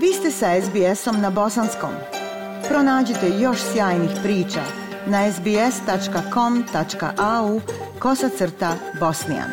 Vi ste sa SBS-om na bosanskom. Pronađite još sjajnih priča na sbs.com.au/bosnijan.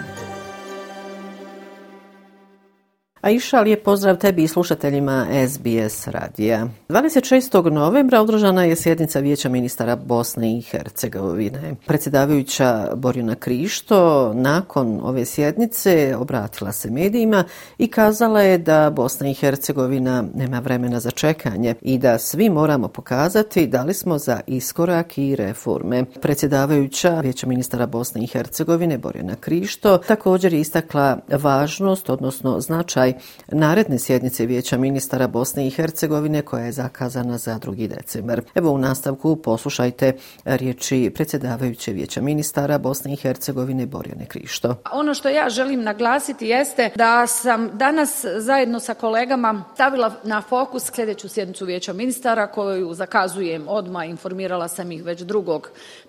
Aisha, lijep pozdrav tebi i slušateljima SBS radija. 26. novembra održana je sjednica Vijeća ministara Bosne i Hercegovine. Predsjedavajuća Borjana Krišto nakon ove sjednice obratila se medijima i kazala je da Bosna i Hercegovina nema vremena za čekanje i da svi moramo pokazati da li smo za iskorak i reforme. Predsjedavajuća Vijeća ministara Bosne i Hercegovine Borjana Krišto također je istakla važnost, odnosno značaj naredne sjednice Vijeća ministara Bosne i Hercegovine koja je zakazana za 2. decembar. Evo u nastavku poslušajte riječi predsjedavajuće Vijeća ministara Bosne i Hercegovine Borjane Krišto. Ono što ja želim naglasiti jeste da sam danas zajedno sa kolegama stavila na fokus sljedeću sjednicu Vijeća ministara koju zakazujem odmah. Informirala sam ih već 2.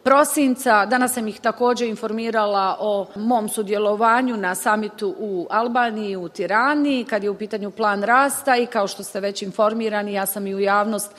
prosinca. Danas sam ih također informirala o mom sudjelovanju na samitu u Albaniji, u Tirani, kad je u pitanju plan rasta i kao što ste već informirani, ja sam i u javnost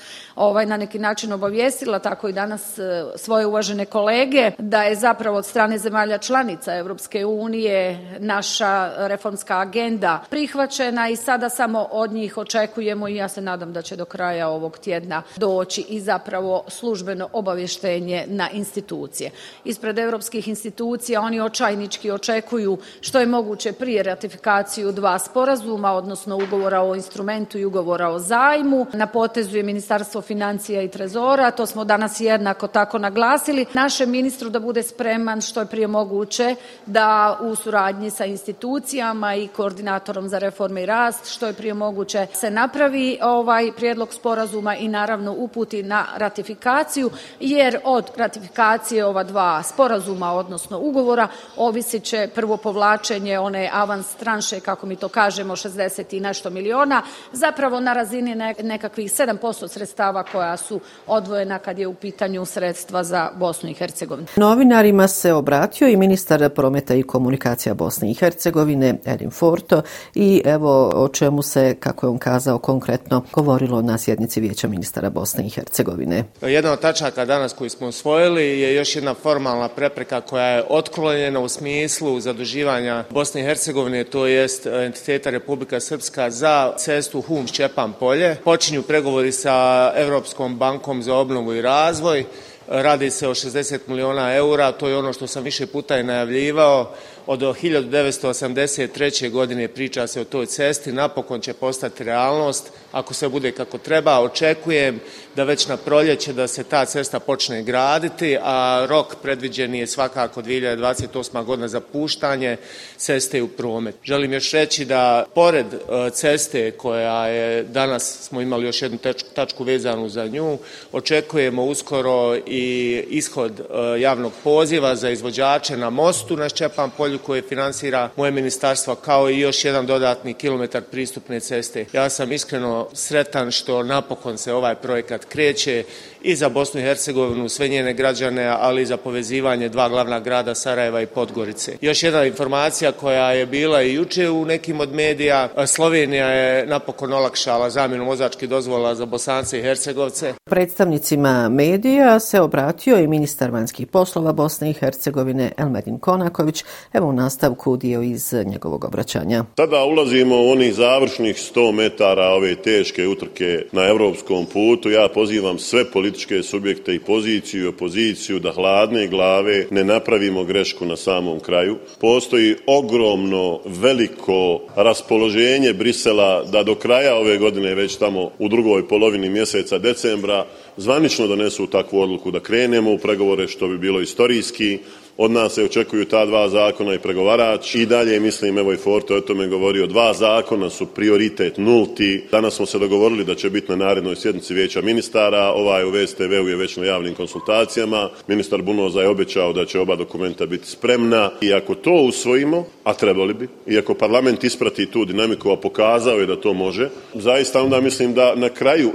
na neki način obavijestila, tako i danas svoje uvažene kolege, da je zapravo od strane zemalja članica Europske unije naša reformska agenda prihvaćena i sada samo od njih očekujemo i ja se nadam da će do kraja ovog tjedna doći i zapravo službeno obavještenje na institucije. Ispred europskih institucija oni očajnički očekuju što je moguće prije ratifikaciju 2 sporazuma, odnosno ugovora o instrumentu i ugovora o zajmu. Na potezu je Ministarstvo financija i trezora, to smo danas jednako tako naglasili. Našem ministru da bude spreman što je prije moguće da u suradnji sa institucijama i koordinatorom za reforme i rast što je prije moguće se napravi prijedlog sporazuma i naravno uputi na ratifikaciju, jer od ratifikacije ova 2 sporazuma, odnosno ugovora, ovisit će prvo povlačenje one avans tranše, kako mi to kažemo, 60 i nešto miliona, zapravo na razini nekakvih 7% sredstava koja su odvojena kad je u pitanju sredstva za Bosnu i Hercegovinu. Novinarima se obratio i ministar prometa i komunikacija Bosne i Hercegovine Erin Forto i evo o čemu se, kako je on kazao, konkretno govorilo na sjednici Vijeća ministara Bosne i Hercegovine. Jedna od tačaka danas koju smo usvojili je još jedna formalna prepreka koja je otklonjena u smislu zaduživanja Bosne i Hercegovine, to jest entiteta Republika Srpska za cestu Hum-Šćepan polje. Počinju pregovori sa Europskom bankom za obnovu i razvoj. Radi se o 60 miliona eura, to je ono što sam više puta i najavljivao. Od 1983. godine priča se o toj cesti, napokon će postati realnost. Ako se bude kako treba, očekujem da već na proljeće da se ta cesta počne graditi, a rok predviđen je svakako 2028. godina za puštanje ceste u promet. Želim još reći da pored ceste koja je danas, smo imali još jednu tačku vezanu za nju, očekujemo uskoro i ishod javnog poziva za izvođače na mostu na Šćepan polju koje finansira moje ministarstvo, kao i još jedan dodatni kilometar pristupne ceste. Ja sam iskreno sretan što napokon se ovaj projekat kreće i za Bosnu i Hercegovinu, sve njene građane, ali i za povezivanje 2 glavna grada Sarajeva i Podgorice. Još jedna informacija koja je bila i jučer u nekim od medija, Slovenija je napokon olakšala zamjenu vozačkih dozvola za Bosance i Hercegovce. Predstavnicima medija se obratio i ministar vanjskih poslova Bosne i Hercegovine Elmedin Konaković. Evo u nastavku dio iz njegovog obraćanja. Sada ulazimo u onih završnih 100 metara ove teške utrke na europskom putu. Ja pozivam sve političke subjekte i poziciju i opoziciju da hladne glave ne napravimo grešku na samom kraju. Postoji ogromno veliko raspoloženje Brisela da do kraja ove godine, već tamo u drugoj polovini mjeseca decembra, zvanično donesu takvu odluku da krenemo u pregovore, što bi bilo istorijski. Od nas se očekuju ta 2 zakona i pregovarač. I dalje mislim, evo i Forte o tome govorio, 2 zakona su prioritet nulti. Danas smo se dogovorili da će biti na narednoj sjednici Vijeća ministara. Ovaj u VSTV-u je već na javnim konsultacijama. Ministar Bunoza je obećao da će oba dokumenta biti spremna. I ako to usvojimo, a trebali bi, i ako parlament isprati tu dinamiku, a pokazao je da to može, zaista onda mislim da na kraju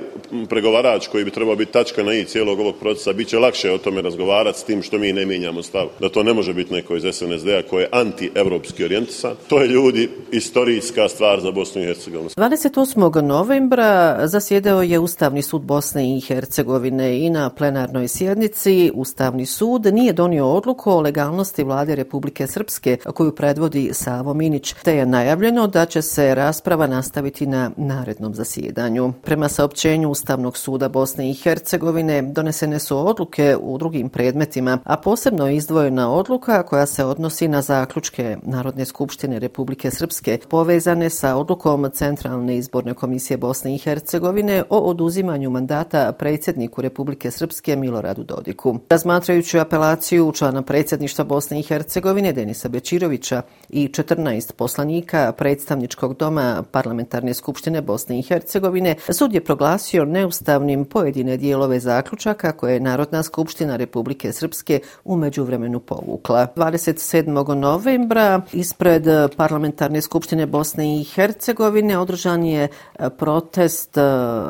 pregovarač koji bi trebao biti tačka na i cijelog ovog procesa, bit će lakše o tome razgovarati s tim što mi ne mijenjamo stav. Da to ne može biti neko iz SNSD-a koji je anti-evropski orijentisan. To je, ljudi, istorijska stvar za Bosnu i Hercegovinu. 28. novembra zasjedao je Ustavni sud Bosne i Hercegovine i na plenarnoj sjednici Ustavni sud nije donio odluku o legalnosti vlade Republike Srpske koju predvodi Savo Minić, te je najavljeno da će se rasprava nastaviti na narednom zasjedanju. Prema saopćenju Ustavnog suda Bosne i Hercegovine donesene su odluke u drugim predmetima, a posebno je izdvojena odluka koja se odnosi na zaključke Narodne skupštine Republike Srpske povezane sa odlukom Centralne izborne komisije Bosne i Hercegovine o oduzimanju mandata predsjedniku Republike Srpske Miloradu Dodiku. Razmatrajući apelaciju člana predsjedništva Bosne i Hercegovine Denisa Bečirovića i 14 poslanika predstavničkog doma Parlamentarne skupštine Bosne i Hercegovine, sud je proglasio neustavnim pojedine dijelove zaključaka koje je Narodna skupština Republike Srpske u međuvremenu povukla. 27. novembra ispred Parlamentarne skupštine Bosne i Hercegovine održan je protest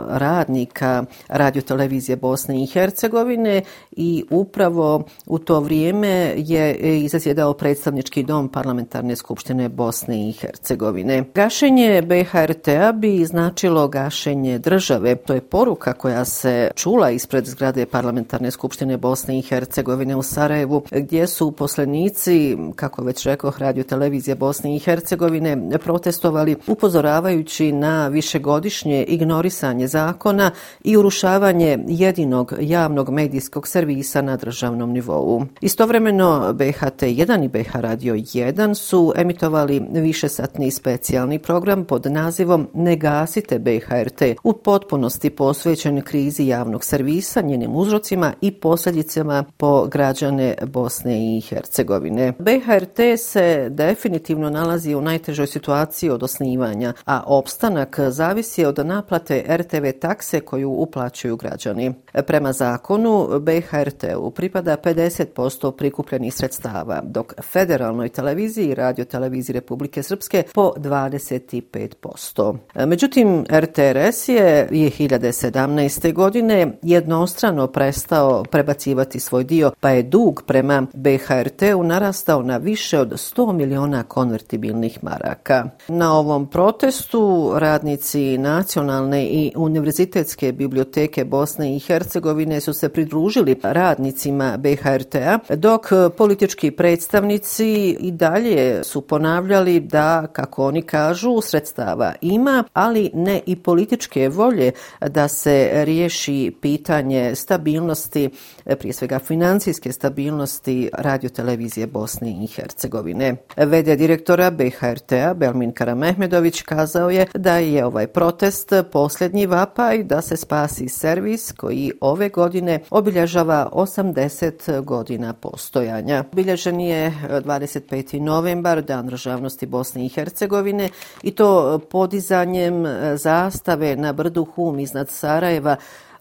radnika Radiotelevizije Bosne i Hercegovine i upravo u to vrijeme je i zasjedao predstavnički dom Parlamentarne skupštine Bosne i Hercegovine. Gašenje BHRT-a bi značilo gašenje države. To je poruka koja se čula ispred zgrade Parlamentarne skupštine Bosne i Hercegovine u Sarajevu, gdje su uposlenici, kako već rekoh, Radiotelevizije Bosne i Hercegovine protestovali upozoravajući na višegodišnje ignorisanje zakona i urušavanje jedinog javnog medijskog servisa na državnom nivou. Istovremeno BHT1 i BH Radio 1 su emitovali višesatni specijalni program pod nazivom Ne gasite BHRT, u potpunosti posvećen krizi javnog servisa, njenim uzrocima i posljedicama po građane Bosne i Hercegovine. BHRT se definitivno nalazi u najtežoj situaciji od osnivanja, a opstanak zavisi od naplate RTV takse koju uplaćuju građani. Prema zakonu BHRT-u pripada 50% prikupljenih sredstava, dok federalnoj televiziji i Radioteleviziji Republike Srpske po 25%. Međutim, RTRS je 2017. godine jednostrano prestao prebacivati svoj dio, pa je dug prema BHRT-u narastao na više od 100 miliona konvertibilnih maraka. Na ovom protestu radnici Nacionalne i Univerzitetske biblioteke Bosne i Hercegovine su se pridružili radnicima BHRT-a, dok politički predstavnici i dalje su ponavljali da, kako oni kažu, sredstava ima, ali ne i političke volje da se riješi pitanje stabilnosti, prije svega financijske stabilnosti Radiotelevizije Bosne i Hercegovine. V.d. direktora BHRT-a Belmin Karamehmedović kazao je da je ovaj protest posljednji vapaj da se spasi servis koji ove godine obilježava 80 godina postojanja. Obilježen je 25. novembar, Dan državnosti Bosne i Hercegovine, i to podizanjem zastave na brdu Hum iznad Sarajeva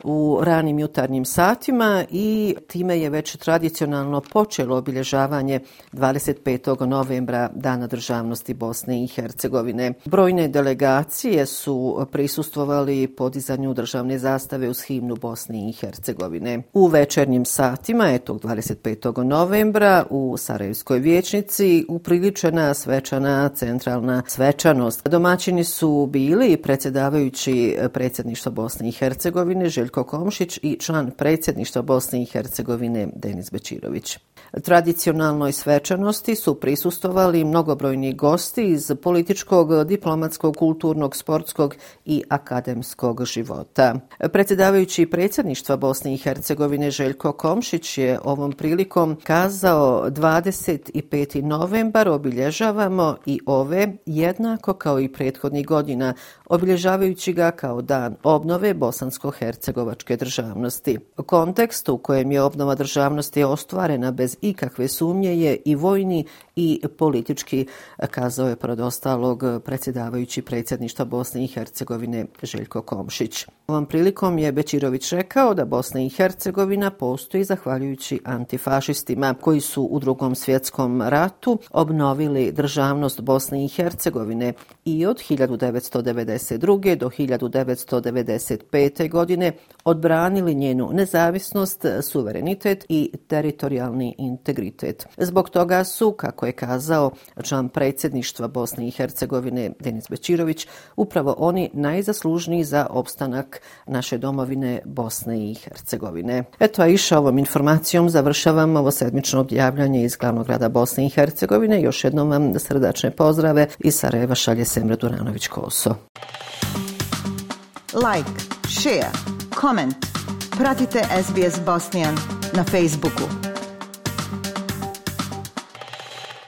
u ranim jutarnjim satima, i time je već tradicionalno počelo obilježavanje 25. novembra Dana državnosti Bosne i Hercegovine. Brojne delegacije su prisustvovali podizanju državne zastave uz himnu Bosne i Hercegovine. U večernjim satima tog 25. novembra u Sarajevskoj vijećnici upriličena svečana centralna svečanost. Domaćini su bili predsjedavajući predsjedništva Bosne i Hercegovine Željko Komšić i član predsjedništva Bosne i Hercegovine Denis Bečirović. Tradicionalnoj svečanosti su prisustvovali mnogobrojni gosti iz političkog, diplomatskog, kulturnog, sportskog i akademskog života. Predsjedavajući predsjedništva Bosne i Hercegovine Željko Komšić je ovom prilikom kazao: 25. novembar obilježavamo i ove, jednako kao i prethodnih godina, obilježavajući ga kao dan obnove bosansko-hercegovačke državnosti. Kontekst u kojem je obnova državnosti ostvarena bez ikakve sumnje je i vojni i politički, kazao je pored ostalog predsjedavajući predsjedništva Bosne i Hercegovine Željko Komšić. Ovom prilikom je Bećirović rekao da Bosna i Hercegovina postoji zahvaljujući antifašistima koji su u Drugom svjetskom ratu obnovili državnost Bosne i Hercegovine i od 1992. do 1995. godine odbranili njenu nezavisnost, suverenitet i teritorijalni integritet. Zbog toga su, kako je kazao član predsjedništva Bosne i Hercegovine Denis Bećirović, upravo oni najzaslužniji za opstanak naše domovine Bosne i Hercegovine. Eto, a iša ovom informacijom završavam ovo sedmično objavljanje iz glavnog grada Bosne i Hercegovine. Još jednom vam srdačne pozdrave iz Sarajeva šalje Semra Duranović-Koso. Like, share, comment. Pratite SBS Bosnian na Facebooku.